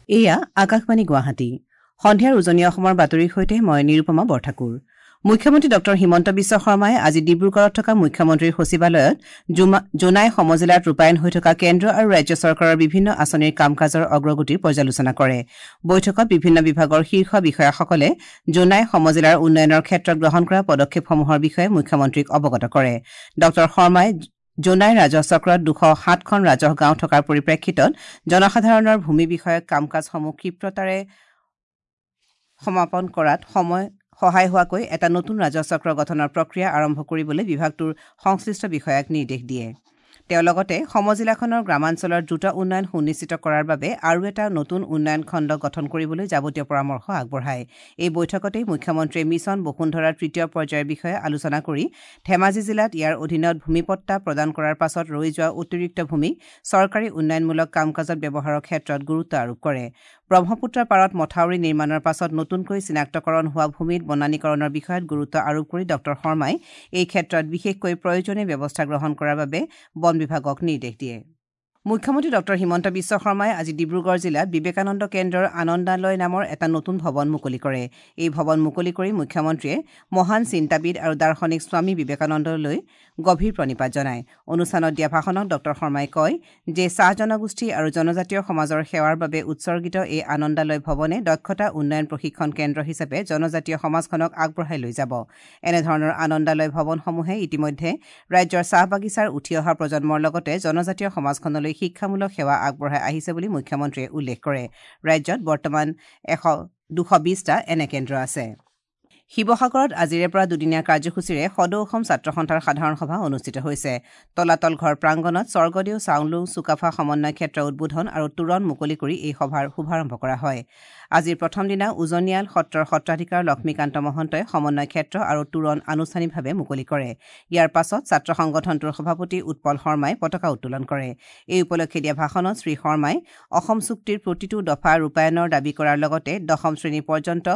এয়া আকাশবাণী গুৱাহাটী। সন্ধিয়াৰ উজনি অসমৰ বাতৰিৰ সৈতে মই নিৰুপমা বৰঠাকুৰ। মুখ্যমন্ত্ৰী ডঃ হিমন্ত বিশ্ব শৰ্মাই আজি ডিব্ৰুগড়ত থকা মুখ্যমন্ত্ৰীৰ সচিবালয়ত জোনাই সমজিলাত ৰূপায়ণ হৈ থকা কেন্দ্ৰ আৰু ৰাজ্য চৰকাৰৰ বিভিন্ন আঁচনিৰ কাম কাজৰ অগ্ৰগতিৰ পৰ্যালোচনা কৰে। বৈঠকত বিভিন্ন বিভাগৰ শীৰ্ষ বিষয়াসকলে জোনাই সমজিলাৰ উন্নয়নৰ ক্ষেত্ৰত গ্ৰহণ কৰা পদক্ষেপসমূহৰ বিষয়ে মুখ্যমন্ত্ৰীক অৱগত কৰে। ডঃ শৰ্মাই জোনাই ৰাজহ চক্ৰত ২০৭খন ৰাজহ গাঁও থকাৰ পৰিপ্ৰেক্ষিতত জনসাধাৰণৰ ভূমি বিষয়ক কাম কাজসমূহ ক্ষিপ্ৰতাৰে সমাপন কৰাত সহায় হোৱাকৈ এটা নতুন ৰাজহ চক্ৰ গঠনৰ প্ৰক্ৰিয়া আৰম্ভ কৰিবলৈ বিভাগটোৰ সংশ্লিষ্ট বিষয়াক নিৰ্দেশ দিয়ে। তেওঁ লগতে সমজিলাখনৰ গ্ৰামাঞ্চলৰ দ্ৰুত উন্নয়ন সুনিশ্চিত কৰাৰ বাবে আৰু এটা নতুন উন্নয়ন খণ্ড গঠন কৰিবলৈ যাৱতীয় পৰামৰ্শ আগবঢ়ায়। এই বৈঠকতেই মুখ্যমন্ত্ৰীয়ে মিছন বসুন্ধৰাৰ তৃতীয় পৰ্যায়ৰ বিষয়ে আলোচনা কৰি ধেমাজি জিলাত ইয়াৰ অধীনত ভূমিপট্টা প্ৰদান কৰাৰ পাছত ৰৈ যোৱা অতিৰিক্ত ভূমিক চৰকাৰী উন্নয়নমূলক কাম কাজত ব্যৱহাৰৰ ক্ষেত্ৰত গুৰুত্ব আৰোপ কৰে। ব্ৰহ্মপুত্ৰৰ পাৰত মথাউৰি নিৰ্মাণৰ পাছত নতুনকৈ চিনাক্তকৰণ হোৱা ভূমিত বনানীকৰণৰ বিষয়ত গুৰুত্ব আৰোপ কৰি ডঃ শৰ্মাই এই ক্ষেত্ৰত বিশেষকৈ প্ৰয়োজনীয় ব্যৱস্থা গ্ৰহণ কৰাৰ বাবে বন বিভাগক নিৰ্দেশ দিয়ে। মুখ্যমন্ত্ৰী ডঃ হিমন্ত বিশ্ব শৰ্মাই আজি ডিব্ৰুগড় জিলাত বিবেকানন্দ কেন্দ্ৰৰ আনন্দালয় নামৰ এটা নতুন ভৱন মুকলি কৰে। এই ভৱন মুকলি কৰি মুখ্যমন্ত্ৰীয়ে মহান চিন্তাবিদ আৰু দাৰ্শনিক স্বামী বিবেকানন্দলৈ গভীৰ প্ৰণিপাত জনায়। অনুষ্ঠানত দিয়া ভাষণত ডঃ শৰ্মাই কয় যে চাহ জনগোষ্ঠী আৰু জনজাতীয় সমাজৰ সেৱাৰ বাবে উৎসৰ্গিত এই আনন্দালয় ভৱনে দক্ষতা উন্নয়ন প্ৰশিক্ষণ কেন্দ্ৰ হিচাপে জনজাতীয় সমাজখনক আগবঢ়াই লৈ যাব। এনেধৰণৰ আনন্দালয় ভৱনসমূহে ইতিমধ্যে ৰাজ্যৰ চাহ বাগিচাৰ উঠি অহা প্ৰজন্মৰ লগতে জনজাতীয় সমাজখনলৈ শিক্ষামূলক সেৱা আগবঢ়াই আহিছে বুলি মুখ্যমন্ত্ৰীয়ে উল্লেখ কৰে। ৰাজ্যত বৰ্তমান ২২০টা এনে কেন্দ্ৰ আছে। শিৱসাগৰত আজিৰে পৰা দুদিনীয়া কাৰ্যসূচীৰে সদৌ অসম ছাত্ৰ সন্থাৰ সাধাৰণ সভা অনুষ্ঠিত হৈছে। তলাতল ঘৰ প্ৰাংগণত স্বৰ্গদেউ চাওলুং চুকাফা সমন্বয় ক্ষেত্ৰ উদ্বোধন আৰু তোৰণ মুকলি কৰি এই সভাৰ শুভাৰম্ভ কৰা হয়। আজিৰ প্ৰথম দিনা উজনিয়াল সত্ৰৰ সত্ৰাধিকাৰ লক্ষ্মীকান্ত মহন্তই সমন্বয় ক্ষেত্ৰ আৰু তোৰণ আনুষ্ঠানিকভাৱে মুকলি কৰে। ইয়াৰ পাছত ছাত্ৰ সংগঠনটোৰ সভাপতি উৎপল শৰ্মাই পতাকা উত্তোলন কৰে। এই উপলক্ষে দিয়া ভাষণত শ্ৰী শৰ্মাই অসম চুক্তিৰ প্ৰতিটো দফা ৰূপায়ণৰ দাবী কৰাৰ লগতে দশম শ্ৰেণী পৰ্যন্ত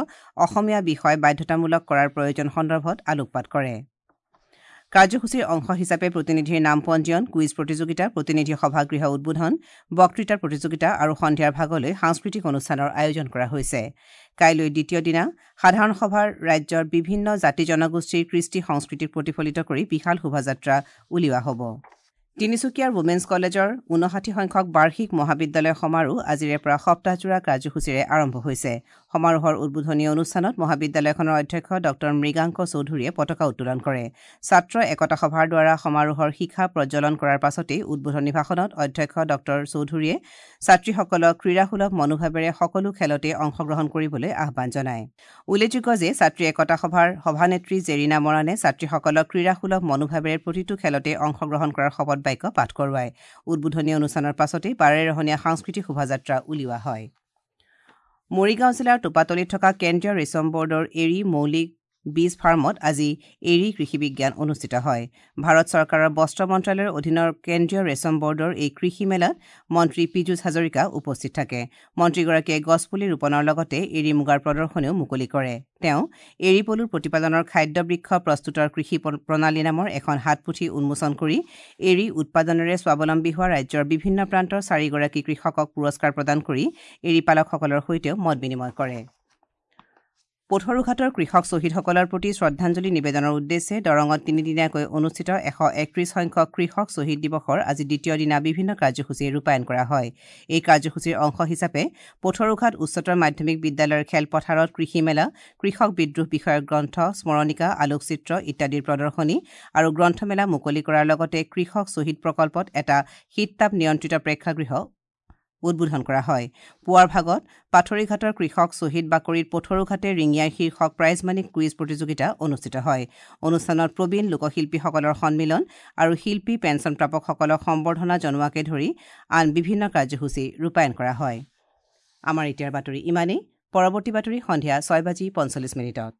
অসমীয়া বিষয় বাধ্যতামূলক কৰাৰ প্ৰয়োজন সন্দৰ্ভত আলোকপাত কৰে। কাৰ্যসূচীৰ অংশ হিচাপে প্ৰতিনিধিৰ নাম পঞ্জীয়ন, কুইজ প্ৰতিযোগিতা, প্ৰতিনিধি সভাগৃহ উদ্বোধন, বক্তৃতাৰ প্ৰতিযোগিতা আৰু সন্ধিয়াৰ ভাগলৈ সাংস্কৃতিক অনুষ্ঠানৰ আয়োজন কৰা হৈছে। কাইলৈ দ্বিতীয় দিনা সাধাৰণ সভাৰ ৰাজ্যৰ বিভিন্ন জাতি জনগোষ্ঠীৰ কৃষ্টি সংস্কৃতিক প্ৰতিফলিত কৰি বিশাল শোভাযাত্ৰা উলিওৱা হ'ব। তিনিচুকীয়াৰ ৱমেন্স কলেজৰ ৫৯ সংখ্যক বাৰ্ষিক মহাবিদ্যালয় সমাৰোহ আজিৰে পৰা সপ্তাহজোৰা কাৰ্যসূচীৰে আৰম্ভ হৈছে। সমাৰোহৰ উদ্বোধনী অনুষ্ঠানত মহাবিদ্যালয়খনৰ অধ্যক্ষ ডঃ মৃগাংক চৌধুৰীয়ে পতাকা উত্তোলন কৰে। ছাত্ৰ একতা সভাৰ দ্বাৰা সমাৰোহৰ শিখা প্ৰজ্বলন কৰাৰ পাছতেই উদ্বোধনী ভাষণত অধ্যক্ষ ডঃ চৌধুৰীয়ে ছাত্ৰীসকলক ক্ৰীড়াসুলভ মনোভাৱেৰে সকলো খেলতে অংশগ্ৰহণ কৰিবলৈ আহ্বান জনায়। উল্লেখযোগ্য যে ছাত্ৰী একতা সভাৰ সভানেত্ৰী জেৰিনা মৰাণে ছাত্ৰীসকলক ক্ৰীড়াসুলভ মনোভাৱেৰে প্ৰতিটো খেলতে অংশগ্ৰহণ কৰাৰ শপত বাক্য পাঠ কৰোৱায়। উদ্বোধনী অনুষ্ঠানৰ পাছতেই বাৰেৰহণীয়া সাংস্কৃতিক শোভাযাত্ৰা উলিওৱা হয়। মৰিগাঁও জিলাৰ টোপাতলিত থকা কেন্দ্ৰীয় ৰেচম বৰ্ডৰ এৰী মৌলিক বীজ ফাৰ্মত আজি এৰী কৃষি বিজ্ঞান অনুষ্ঠিত হয়। ভাৰত চৰকাৰৰ বস্ত্ৰ মন্ত্ৰালয়ৰ অধীনৰ কেন্দ্ৰীয় ৰেচম বৰ্ডৰ এই কৃষি মেলাত মন্ত্ৰী পীযুষ হাজৰিকা উপস্থিত থাকে। মন্ত্ৰীগৰাকীয়ে গছপুলি ৰোপণৰ লগতে এৰী মুগাৰ প্ৰদৰ্শনীও মুকলি কৰে। তেওঁ এৰী পলুৰ প্ৰতিপালনৰ খাদ্য বৃক্ষ প্ৰস্তুতৰ কৃষি প্ৰণালী নামৰ এখন হাতপুথি উন্মোচন কৰি এৰী উৎপাদনেৰে স্বাৱলম্বী হোৱা ৰাজ্যৰ বিভিন্ন প্ৰান্তৰ ৪গৰাকী কৃষকক পুৰস্কাৰ প্ৰদান কৰি এৰী পালকসকলৰ সৈতেও মত বিনিময় কৰে। পথৰুঘাটৰ কৃষক শ্বহীদসকলৰ প্ৰতি শ্ৰদ্ধাঞ্জলি নিবেদনৰ উদ্দেশ্যে দৰঙত তিনিদিনীয়াকৈ অনুষ্ঠিত ১৩১ সংখ্যক কৃষক শ্বহীদ দিৱসৰ আজি দ্বিতীয় দিনা বিভিন্ন কাৰ্যসূচী ৰূপায়ণ কৰা হয়। এই কাৰ্যসূচীৰ অংশ হিচাপে পথৰুঘাট উচ্চতৰ মাধ্যমিক বিদ্যালয়ৰ খেলপথাৰত কৃষি মেলা, কৃষক বিদ্ৰোহ বিষয়ক গ্ৰন্থ, স্মৰণিকা, আলোকচিত্ৰ ইত্যাদিৰ প্ৰদৰ্শনী আৰু গ্ৰন্থমেলা মুকলি কৰাৰ লগতে কৃষক শ্বহীদ প্ৰকল্পত এটা শীততাপ নিয়ন্ত্ৰিত প্ৰেক্ষাগৃহ উদ্বোধন কৰা হয়। পুৱাৰ ভাগত পাথৰিঘাটৰ কৃষক শ্বহীদ বাকৰিত পথৰুঘাটে ৰিঙিয়াই শীৰ্ষক প্ৰাইজমানী কুইজ প্ৰতিযোগিতা অনুষ্ঠিত হয়। অনুষ্ঠানত প্ৰবীণ লোকশিল্পীসকলৰ সন্মিলন আৰু শিল্পী পেঞ্চন প্ৰাপকসকলক সম্বৰ্ধনা জনোৱাকে ধৰি আন বিভিন্ন কাৰ্যসূচী ৰূপায়ণ কৰা হয়। আমাৰ এতিয়াৰ বাতৰি ইমানেই। পৰৱৰ্তী বাতৰি সন্ধিয়া ৬:৪৫।